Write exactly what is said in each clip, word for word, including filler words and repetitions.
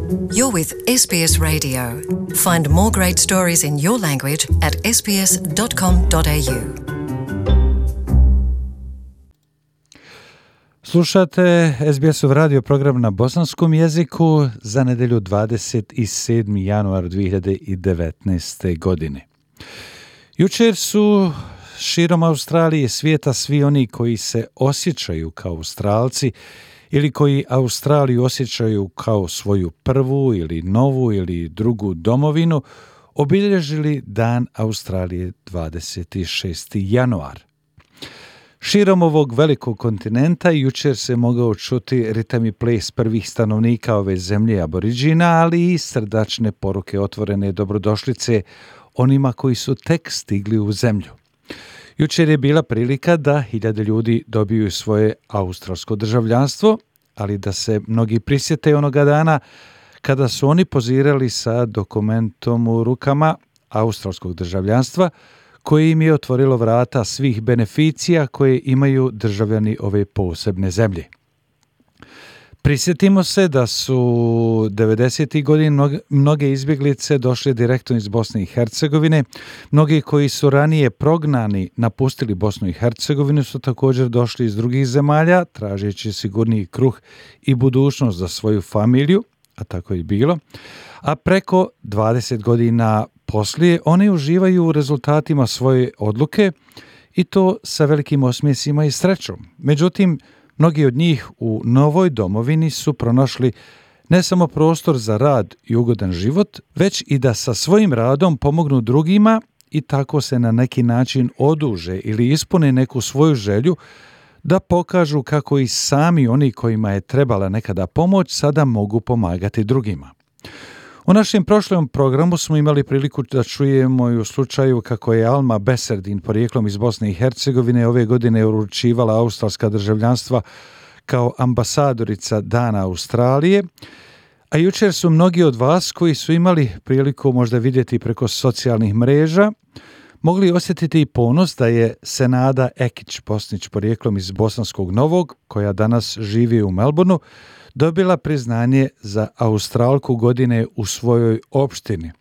You're with S B S Radio. Find more great stories in your language at s b s dot com dot a u. Slušate S B S-ov radio program na bosanskom jeziku za nedjelju dvadeset sedmi januar dvije hiljade devetnaeste. godine. Jučer su širom Australije i svijeta svi oni koji se osjećaju kao Australci ili koji Australiju osjećaju kao svoju prvu ili novu ili drugu domovinu, obilježili Dan Australije dvadeset šesti januar. Širom ovog velikog kontinenta jučer se mogao čuti ritam i ples prvih stanovnika ove zemlje Aboriđina, ali i srdačne poruke otvorene dobrodošlice onima koji su tek stigli u zemlju. Jučer je bila prilika da hiljade ljudi dobiju svoje australsko državljanstvo, ali da se mnogi prisjete onoga dana kada su oni pozirali sa dokumentom u rukama australskog državljanstva, koje im je otvorilo vrata svih beneficija koje imaju državljani ove posebne zemlje. Prisjetimo se da su devedesetih godina mnoge izbjeglice došle direktno iz Bosne i Hercegovine. Mnogi koji su ranije prognani napustili Bosnu i Hercegovinu su također došli iz drugih zemalja, tražeći sigurniji kruh i budućnost za svoju familiju, a tako je bilo. A preko dvadeset godina poslije oni uživaju u rezultatima svoje odluke i to sa velikim osmjesima i srećom. Međutim, mnogi od njih u novoj domovini su pronašli ne samo prostor za rad i ugodan život, već i da sa svojim radom pomognu drugima i tako se na neki način oduže ili ispune neku svoju želju da pokažu kako i sami oni kojima je trebala nekada pomoć sada mogu pomagati drugima. U našem prošlom programu smo imali priliku da čujemo i u slučaju kako je Alma Beserdin, porijeklom iz Bosne i Hercegovine, ove godine uručivala australska državljanstva kao ambasadorica Dana Australije, a jučer su mnogi od vas koji su imali priliku možda vidjeti preko socijalnih mreža mogli osjetiti i ponos da je Senada Ekić-Bosnić, porijeklom iz Bosanskog Novog, koja danas živi u Melbourneu, dobila priznanje za Australku godine u svojoj opštini.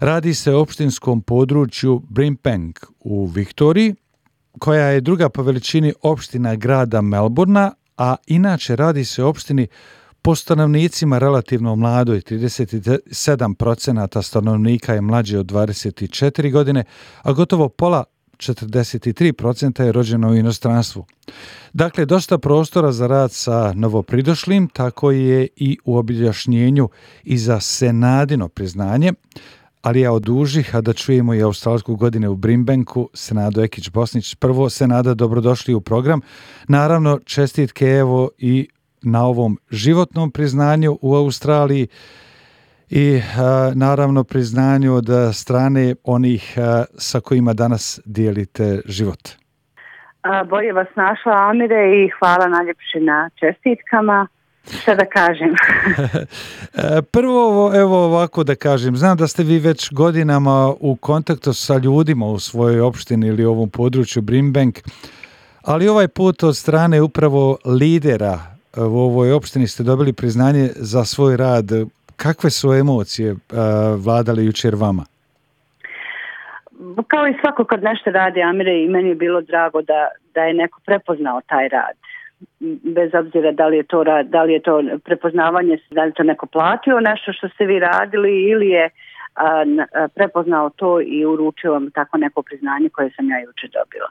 Radi se o opštinskom području Brimbank u Viktoriji, koja je druga po veličini opština grada Melbournea, a inače radi se o opštini po stanovnicima relativno mladoj, trideset sedam posto stanovnika je mlađe od dvadeset četiri godine, a gotovo pola, četrdeset tri posto je rođeno u inostranstvu. Dakle, dosta prostora za rad sa novopridošlim, tako je i u objašnjenju i za Senadino priznanje, ali ja odužih, a da čujemo i australsku godine u Brimbanku, Senado Ekić-Bosnić. Prvo, Senada, dobrodošli u program. Naravno, čestitke evo i na ovom životnom priznanju u Australiji i a, naravno priznanju od strane onih a, sa kojima danas dijelite život. A, bolje vas našla, Amire, i hvala najljepše na čestitkama. Šta da kažem? Prvo, evo ovako da kažem, znam da ste vi već godinama u kontaktu sa ljudima u svojoj opštini ili ovom području Brimbank, ali ovaj put od strane upravo lidera u ovoj opštini ste dobili priznanje za svoj rad. Kakve su emocije uh, vladale jučer vama? Kao i svako kad nešto radi, Amire, i meni je bilo drago da, da je neko prepoznao taj rad. Bez obzira da li je to rad, da li je to prepoznavanje, da li je to neko platio nešto što ste vi radili ili je a, a, prepoznao to i uručio vam tako neko priznanje koje sam ja jučer dobila.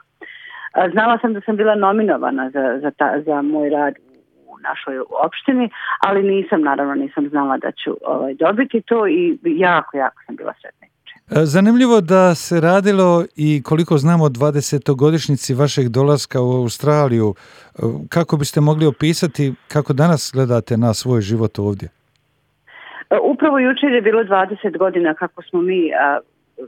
A, znala sam da sam bila nominovana za, za, ta, za moj rad u našoj opštini, ali nisam, naravno nisam znala da ću ovaj, dobiti to i jako, jako sam bila sretna. Zanimljivo da se radilo i koliko znamo dvadesetogodišnjici vašeg dolaska u Australiju. Kako biste mogli opisati kako danas gledate na svoj život ovdje? Upravo jučer je bilo dvadeset godina kako smo mi, a,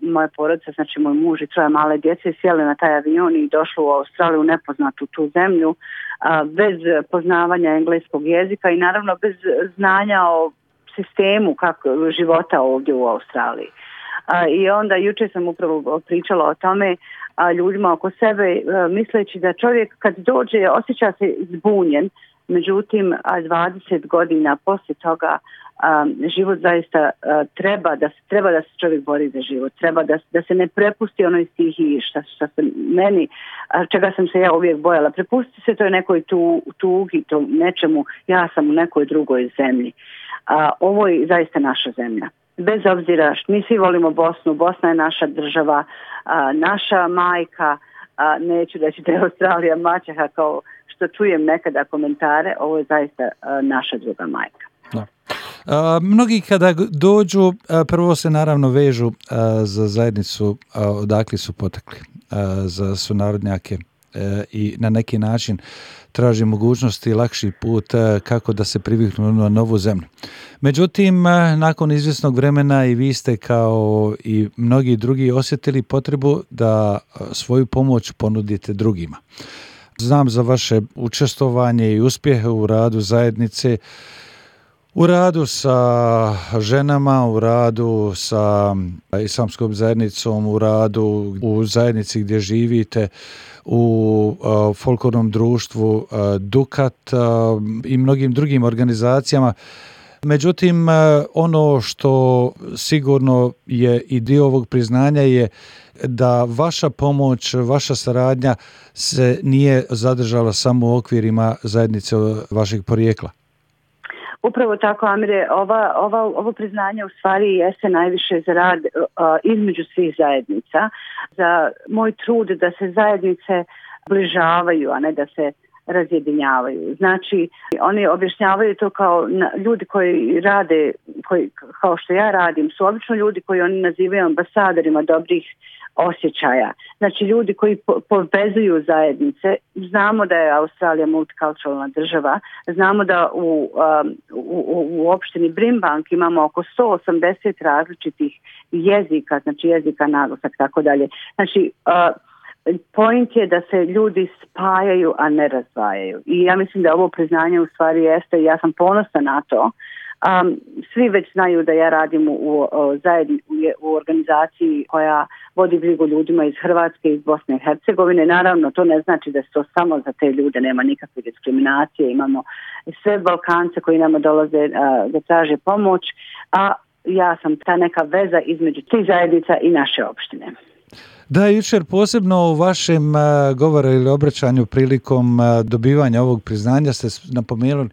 moja porodica, znači moj muž i troje male djece, sjeli na taj avion i došli u Australiju, nepoznatu tu zemlju, a, bez poznavanja engleskog jezika i naravno bez znanja o sistemu kako, života ovdje u Australiji. A, I onda jučer sam upravo pričala o tome a, ljudima oko sebe, a, misleći da čovjek kad dođe osjeća se zbunjen, Međutim, a dvadeset godina poslije toga um, život zaista uh, treba da, treba da se čovjek bori za život, treba da, da se ne prepusti onoj stihiji šta, šta se meni, čega sam se ja uvijek bojala. Prepusti se toj nekoj tu, tugi, to nečemu, ja sam u nekoj drugoj zemlji. A, ovo je zaista naša zemlja. Bez obzira što mi svi volimo Bosnu, Bosna je naša država, a, naša majka, a, neću reći da je Australija maćeha kao što čujem nekada komentare, ovo je zaista a, naša druga majka. Da. A, mnogi kada dođu, a, prvo se naravno vežu a, za zajednicu a, odakle su potekli, a, za sunarodnjake a, i na neki način traži mogućnosti i lakši put a, kako da se priviknu na novu zemlju. Međutim, a, nakon izvjesnog vremena i vi ste kao i mnogi drugi osjetili potrebu da a, svoju pomoć ponudite drugima. Znam za vaše učestvovanje i uspjehe u radu zajednice, u radu sa ženama, u radu sa islamskom zajednicom, u radu u zajednici gdje živite, u uh, folklornom društvu uh, Dukat uh, i mnogim drugim organizacijama. Međutim, uh, ono što sigurno je i dio ovog priznanja je da vaša pomoć, vaša saradnja se nije zadržala samo u okvirima zajednice vašeg porijekla. Upravo tako, Amire, ova, ova, ovo priznanje u stvari jeste najviše za rad uh, između svih zajednica, za moj trud da se zajednice bližavaju, a ne da se razjedinjavaju. Znači, oni objašnjavaju to kao na, ljudi koji rade, koji, kao što ja radim, su obično ljudi koji oni nazivaju ambasadorima dobrih osjećaja. Znači, ljudi koji po- povezuju zajednice. Znamo da je Australija multikulturalna država. Znamo da u, um, u, u opštini Brimbank imamo oko sto osamdeset različitih jezika, znači jezika, naglasak, tako dalje. Znači, uh, point je da se ljudi spajaju, a ne razdvajaju. I ja mislim da ovo priznanje u stvari jeste, i ja sam ponosna na to. Um, svi već znaju da ja radim u, u, zajedni, u, u organizaciji koja vodi brigu ljudima iz Hrvatske i iz Bosne i Hercegovine. Naravno, to ne znači da se to samo za te ljude, nema nikakve diskriminacije. Imamo sve Balkance koji nama dolaze uh, da traže pomoć, a ja sam ta neka veza između tih zajednica i naše opštine. Da, jučer posebno u vašem uh, govoru ili obraćanju prilikom uh, dobivanja ovog priznanja ste napomenuli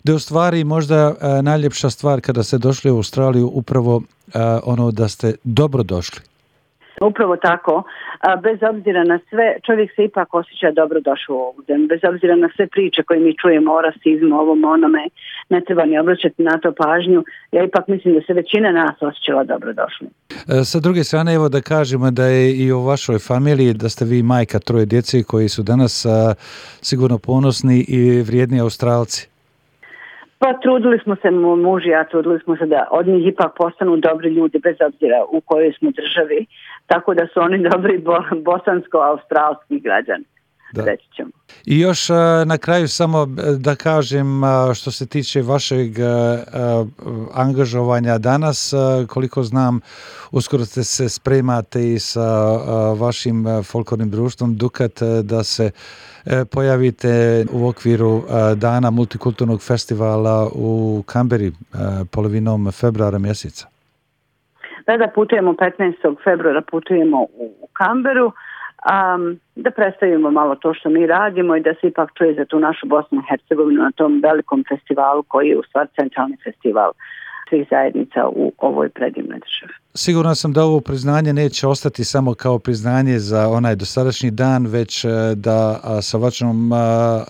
da je u stvari možda uh, najljepša stvar kada ste došli u Australiju upravo uh, ono da ste dobro došli. Upravo tako, a, bez obzira na sve, čovjek se ipak osjeća dobro došao u ovu zemlju, bez obzira na sve priče koje mi čujemo o rasizmu, ovom onome, ne treba ni obraćati na to pažnju, ja ipak mislim da se većina nas osjećala dobro došli. E, sa druge strane, evo da kažemo da je i u vašoj familiji, da ste vi majka troje djece koji su danas a, sigurno ponosni i vrijedni Australci. Pa trudili smo se, muž i ja, trudili smo se da od njih ipak postanu dobri ljudi bez obzira u kojoj smo državi, tako da su oni dobri bo, bosansko-australski građani. Da. Reći ćemo. I još a, na kraju samo da kažem a, što se tiče vašeg a, a, angažovanja danas, a, koliko znam, uskoro ste se spremate i sa a, vašim folklornim društvom Dukat a, da se a, pojavite u okviru a, dana multikulturnog festivala u Kamberi a, polovinom februara mjeseca. Da, da putujemo petnaestog februara, putujemo u, u Kamberu. Um, da predstavimo malo to što mi radimo i da se ipak čuje za tu našu Bosnu i Hercegovinu na tom velikom festivalu koji je u stvari centralni festival svih zajednica u ovoj predivnoj državi. Siguran sam da ovo priznanje neće ostati samo kao priznanje za onaj dosadašnji dan, već da sa vašom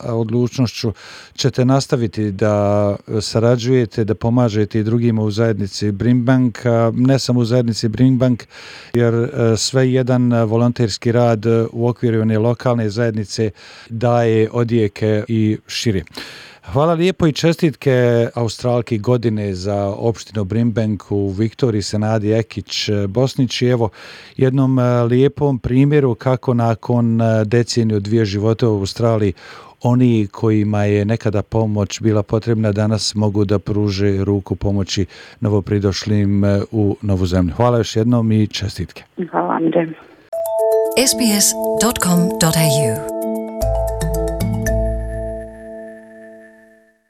odlučnošću ćete nastaviti da sarađujete, da pomažete i drugima u zajednici Brimbank, ne samo u zajednici Brimbank, jer sve jedan volonterski rad u okviru one lokalne zajednice daje odjeke i šire. Hvala lijepo i čestitke Australki godine za opštinu Brimbank u Viktoriji Senadi Ekić Bosnić i evo jednom lijepom primjeru kako nakon deceniju dvije života u Australiji oni kojima je nekada pomoć bila potrebna danas mogu da pruže ruku pomoći novopridošlim u novu zemlju. Hvala još jednom i čestitke. Hvala, Andrej. s b s dot com dot a u